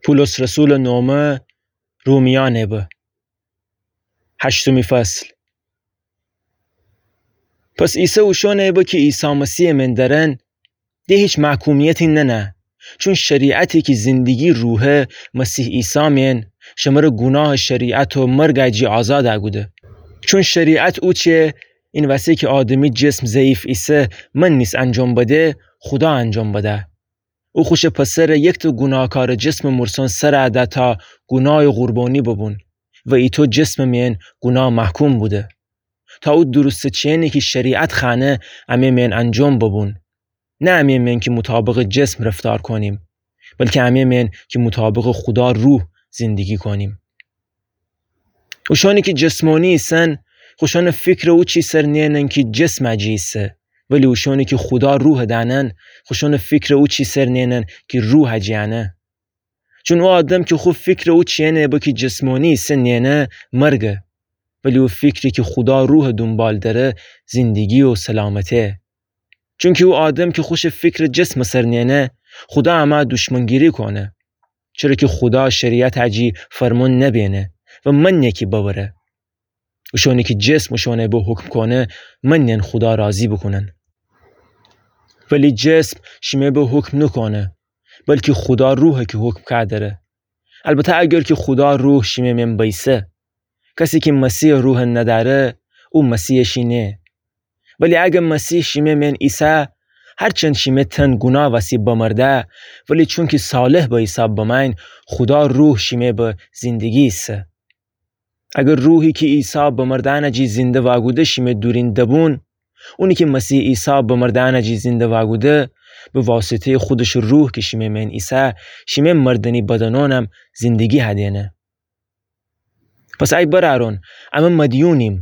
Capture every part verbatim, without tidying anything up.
پولس رسولٚ نومه رومیأنٚ به. هشتمی فصل. پس ایسه اوشونٚ به کی عیسی مسیحٚ مئن درن، ده هیچ محکومیتی ننه، چون شریعتی کی زندگی روحه مسیح عیسی مئن، شمره گوناهٚ شریعت و مرگٚ جی آزاد کوده. چون شریعت اوچه این وسی کی آدمی جسم ضعیف ایسه، من نیس انجام بده، خودا انجام بده. او خوشٚ پسره یکتأ گوناهکارٚ جسمٚ مرسون سر ده تا گوناهٚ قربانی ببون و ایتو جسمٚ مئن گوناه محکوم بوده. تا او درستٚ چینی کی شریعت خوأنه امه مئن انجام ببون. نه امه مئن کی مطابقٚ جسم رفتار کونیم، بلکی امه مئن کی مطابقٚ خودا روح زندگی کونیم. اوشانی کی جسمانی ایسن، خوشانٚ فکر او چی سر نئنن کی جسمٚ جی ایسه، ولی اوشانی کی خودا روحٚ دأنن، خوشانٚ فکر او چی سر نئنن کی روحٚ جی انه. چون او آدم کی خو فکر او چینٚ به کی جسمانی ایسه نئنه، مرگه، ولی او فکری کی خودا روحٚ دونبال دره، زندگی و سلامته. چونکی او آدم کی خوشٚ فکر جسمٚ سر نئنه، خودا امه دوشمنگیری کونه. چره کی خودا شریعتٚ جی فرمون نبینه و من نئن کی ببره. اوشانی کی جسم اوشانٚ به حکم کونه، من نئن خودا راضی بوکونن. ولی جسم شیمه به حکم نوکونه، بلکی خودا روحه کی حکم کودره. البته اگر کی خودا روح شیمه مئن بیسه. کسی کی مسیحٚ روح ندأره، او مسیحٚ شی نیه. ولی اگر مسیح شیمه مئن ایسه، هرچند شیمه تن گوناه وسی بمرده، ولی چونکی صالح به حساب بمأیین، خودا روح شیمه به زندگی ایسه. اگر روحی کی عیسی بمردأنٚ جی زنده واگوده شیمه دورین دبون، اونی کی مسیح عیسی بمردأنٚ جی زنده واگوده، به واسطه‌یٚ خودشٚ روح کی شیمه مئن ایسه، شیمه مردنی بدنونم زندگی هدینه. پس ای برأرون، امه مدیونیم،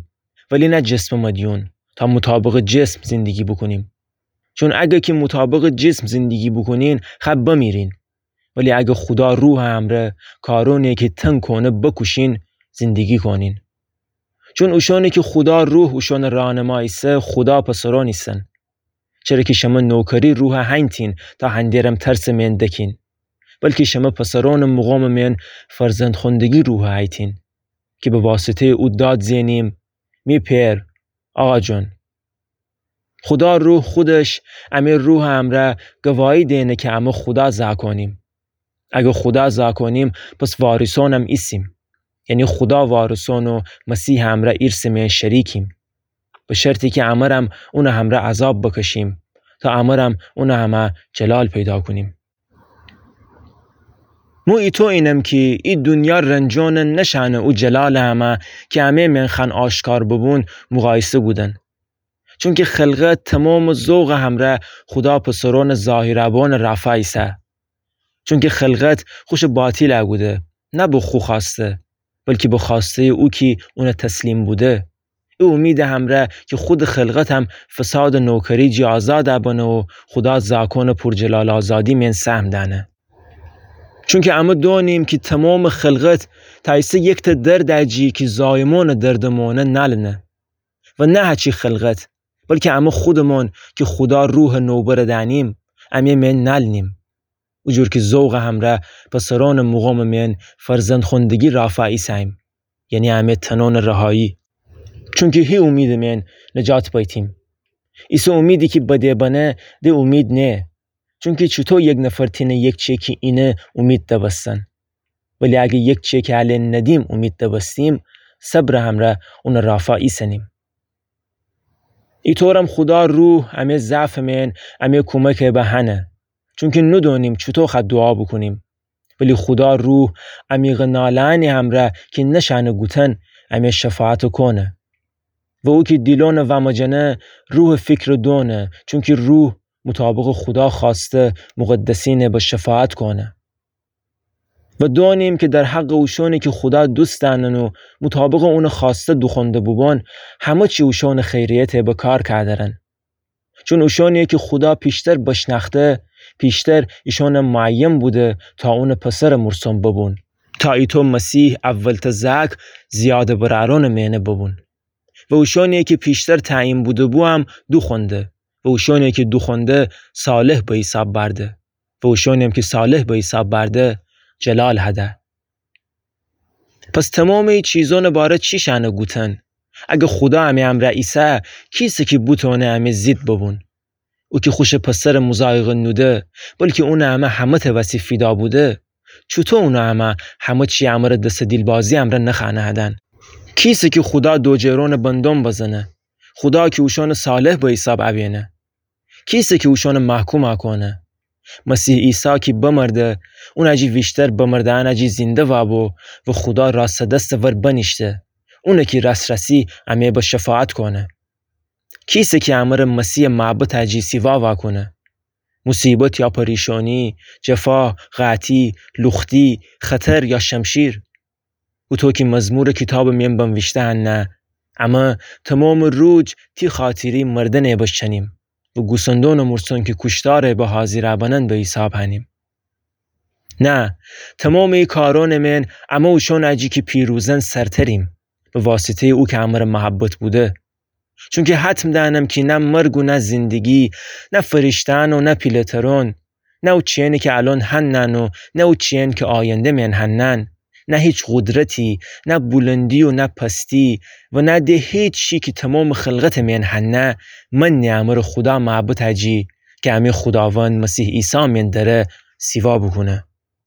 ولی نه جسمٚ مدیون، تا مطابقٚ جسم زندگی بوکونیم. چون اگه کی مطابقٚ جسم زندگی بوکونین، خب بمیرین. ولی اگه خودا روحٚ امرأ کارونی کی تن کونه بکوشین، زندگی کونین. چون اوشانی کی خودا روح اوشانٚ راهنما ایسه، خودا پسرون ایسن. چره کی شمه نوکری روح هینتین تا هندیرم ترسٚ مئن دکین، بلکی شمه پسرونٚ مقامٚ مئن فرزندخوندگی روح هیتین، کی به واسطه‌یٚ او داد زئنیم: می پئر، آقا جان. خودا روح خودش امه روحٚ امرأ گواهی دئنه کی امه خودا زاکونیم. اگه خودا زاکونیم، پس وارثونم ایسیم. یعنی خودا وارثون و مسیحٚ امرأ ایرثٚ مئن شریکیم. به شرطی کی امرم اونٚ امرأ عذاب بکشیم، تا امرم اونٚ امرأ جلال پیدا کونیم. مو ایتو اینم کی ای دونیا رنجونٚ نشأنه او جلالٚ امرأ کی امه مئن خوأن آشکار ببون مقایسه کودن. چونکی خلقت تومامٚ ذوقٚ امرأ خودا پسرونٚ ظاهرٚ بونٚ رافا ایسه. چونکی خلقت خوشٚ باطیل کوده، نه به خو خوأسته، بلکی به خوأسته‌یٚ او کی اونٚ تسلیم بوده. ای اومیدٚ امرأ کی خودٚ خلقتم فسادٚ نوکری جی آزاد بنه و خودا زاکونٚ پورجلال آزادی مئن سهم دأنه. چونکی امه دونیم کی تومامٚ خلقت تأیسه یکتأ دردٚ جی کی زایمونٚ دردٚ مونه نالنه. و نه هچی خلقت، بلکی امه خودٚ مون کی خودا روحٚ نوبره دأنیم، امه مئن نالنیم. او جور کی ذوقٚ امرأ پسرونٚ مقامٚ مئن فرزندخوندگی رافا ایسه‌ییم، یعنی امه تنونٚ رهایی. چونکی هی اومیدٚ مئن نجات بیتیم. ایسه اومیدی کی بده بنه، ده اومید نیه. چونکی چوطو یک نفر تأنه یک چیکی اینه اومید دبستن؟ ولی اگه یک چیکی اله ندیم اومید دبستیم، صبرٚ امرأ اونٚ رافا ایسنیم. ایطورم خودا روح امه ضعفٚ مئن امه کومکٚ به هنه، چونکی ندونیم چوطو خأ دوعا بوکونیم. ولی خودا روح عمیقٚ ناله‌یأنی امرأ کی نشأنه گوتن، امه شفاعت کونه. و او کی دیلونٚ وامجنه، روحٚ فیکر دونه، چونکی روح مطابقٚ خودا خوأسته مقدسینه به شفاعت کونه. و دونیم کی در حقٚ اوشونی کی خودا دوست دأنن و مطابقٚ اونٚ خوأسته دوخونده بوبون، همه چی اوشونٚ خیریته به کار کادرن. چون اوشونی کی خودا پیشتر بشنأخته، پیشتر ایشون معین بوده تا اونٚ پسرٚ مرسوم ببون، تا ایطو مسیح اولتأ زأک زیادٚ برأرونٚ مئنه ببون. و اوشونی کی پیشتر تعیین بوده‌بو هم دوخونده، و اوشونی کی دوخونده صالح به حیساب بأرده، و اوشونیم کی صالح به حیساب بأرده جلال هده. پس تومامٚ ای چیزأنٚ باره چی شأنه گوتن؟ اگر خودا امه امرأ ایسه، کیسه کی بوتوانه امه زید ببون؟ او کی خوشٚ پسرٚ مضایقه نوده، بلکی اونٚ امه همه‌تأ وسی فیدا بوده، چوطو اونٚ امه همه چی امره دسٚ دیلبازی امرأ نخأنه‌هدن؟ کیسه کی خودا دوجهرونٚ بندوم بزنه؟ خودا کی اوشانٚ صالح به حیساب اوینه؟ کیسه کی اوشانٚ محکوم کونه؟ مسیح عیسی کی بمرده، اون اجی ویشتر بمرده‌یأن اجی زنده وابو و خودا راستٚ دستٚ ور بنیشته. اونه کی راس‌راسی امه به شفاعت کونه. کیسه کی امره مسیحٚ معبد اجی سیوا واکونه؟ موصیبت یا پریشانی، جفا، قحطی، لوختی، خطر یا شمشیر؟ هوطو کی مزمورٚ کیتابٚ میأن بنویشته هنه، امه تومامٚ روج تی خاطری مردنٚ بشنیم و گوسندونٚ مورسون کی کوشتارٚ به حاضیرا بنن به حیساب هنیم. نه، تومامٚ ای کارونٚ میأن امه اوشان اجی کی پیروزن سرتریم، به واسطه‌یٚ او کی امره محبت بوده. چونکی حتم دأنم کی نه مرگ و نه زندگی، نه فرشته‌یأن و نه پیله‌ترون، نه او چیأنی کی الأن هنن و نه او چیأنی کی آینده میأن هنن، نه هیچ قدرتی، نه بلندی و نه پستی و نه ده هیچ چی کی تومامٚ خلقتٚ میأن هنه، منه امره خودا معبد اجی کی امه خوداوند مسیح عیسی میأن دره سیوا بوکونه.